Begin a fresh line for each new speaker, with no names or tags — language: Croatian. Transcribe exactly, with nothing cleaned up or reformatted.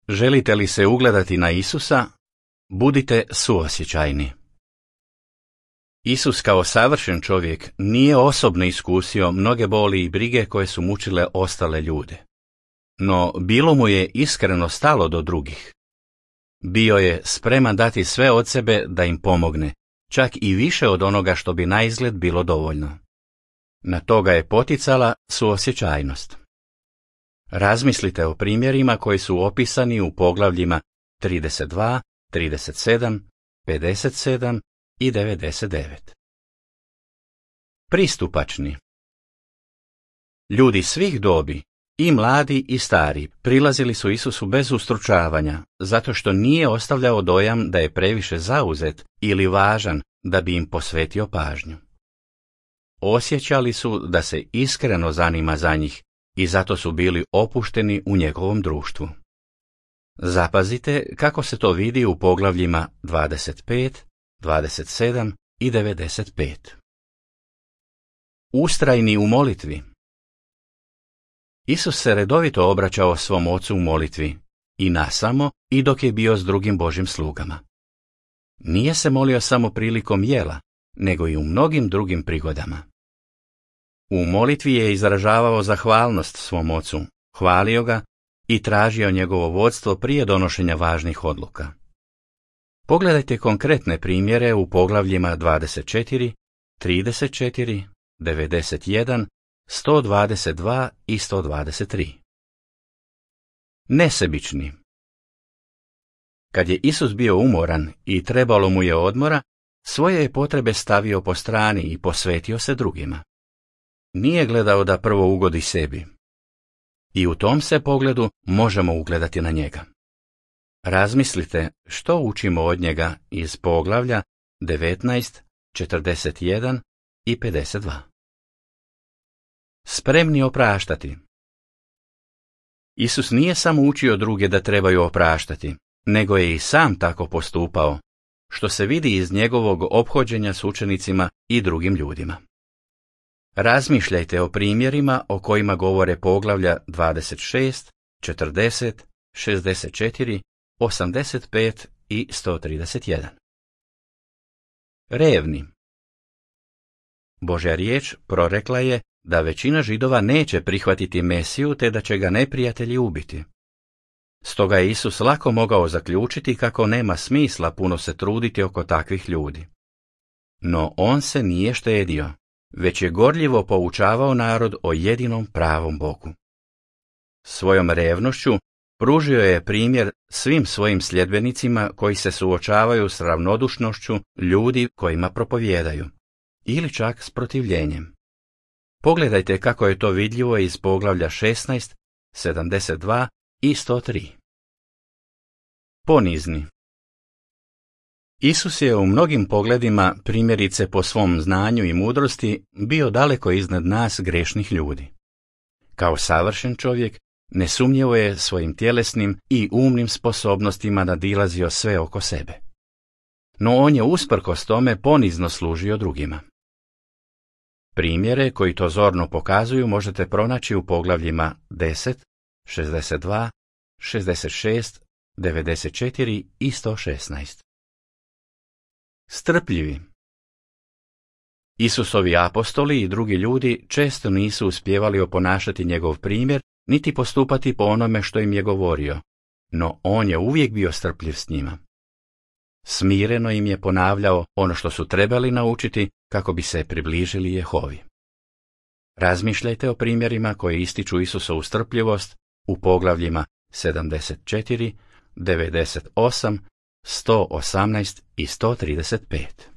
Želite li se ugledati na Isusa? Budite suosjećajni. Isus kao savršen čovjek nije osobno iskusio mnoge boli i brige koje su mučile ostale ljude. No bilo mu je iskreno stalo do drugih. Bio je spreman dati sve od sebe da im pomogne, čak i više od onoga što bi naizgled bilo dovoljno. Na to ga je poticala suosjećajnost. Razmislite o primjerima koji su opisani u poglavljima trideset dva, trideset sedam, pedeset sedam i devedeset devet. Pristupačni. Ljudi svih dobi, i mladi i stari, prilazili su Isusu bez ustručavanja, zato što nije ostavljao dojam da je previše zauzet ili važan da bi im posvetio pažnju. Osjećali su da se iskreno zanima za njih i zato su bili opušteni u njegovom društvu. Zapazite kako se to vidi u poglavljima dvadeset pet, dvadeset sedam i devedeset pet. Ustrajni u molitvi. Isus se redovito obraćao svom ocu u molitvi, i nasamo i dok je bio s drugim Božjim slugama. Nije se molio samo prilikom jela, nego i u mnogim drugim prigodama. U molitvi je izražavao zahvalnost svom ocu, hvalio ga i tražio njegovo vodstvo prije donošenja važnih odluka. Pogledajte konkretne primjere u poglavljima dvadeset četiri, trideset četiri, devedeset jedan, sto dvadeset dva i sto dvadeset tri. Nesebični. Kad je Isus bio umoran i trebalo mu je odmora, svoje je potrebe stavio po strani i posvetio se drugima. Nije gledao da prvo ugodi sebi. I u tom se pogledu možemo ugledati na njega. Razmislite što učimo od njega iz poglavlja devetnaest, četrdeset jedan i pedeset dva. Spremni opraštati. Isus nije samo učio druge da trebaju opraštati, nego je i sam tako postupao, što se vidi iz njegovog ophođenja s učenicima i drugim ljudima. Razmišljajte o primjerima o kojima govore poglavlja dvadeset šest, četrdeset, šezdeset četiri, osamdeset pet i sto trideset jedan. Revni. Božja riječ prorekla je da većina Židova neće prihvatiti Mesiju te da će ga neprijatelji ubiti. Stoga je Isus lako mogao zaključiti kako nema smisla puno se truditi oko takvih ljudi. No on se nije štedio, već je gorljivo poučavao narod o jedinom pravom Bogu. Svojom revnošću pružio je primjer svim svojim sljedbenicima koji se suočavaju s ravnodušnošću ljudi kojima propovijedaju, ili čak s protivljenjem. Pogledajte kako je to vidljivo iz poglavlja šesnaest, sedamdeset dva i sto tri. Ponizni. Isus je u mnogim pogledima, primjerice po svom znanju i mudrosti, bio daleko iznad nas grešnih ljudi. Kao savršen čovjek, nesumnjivo je svojim tjelesnim i umnim sposobnostima nadilazio sve oko sebe. No on je usprkos tome ponizno služio drugima. Primjere koji to zorno pokazuju možete pronaći u poglavljima deset, šezdeset dva, šezdeset šest, devedeset četiri i sto šesnaest. Strpljivi. Isusovi apostoli i drugi ljudi često nisu uspijevali oponašati njegov primjer, niti postupati po onome što im je govorio, no on je uvijek bio strpljiv s njima. Smireno im je ponavljao ono što su trebali naučiti kako bi se približili Jehovi. Razmišljajte o primjerima koji ističu Isusovu strpljivost u poglavljima sedamdeset četiri, devedeset osam, sto osamnaest i sto trideset pet.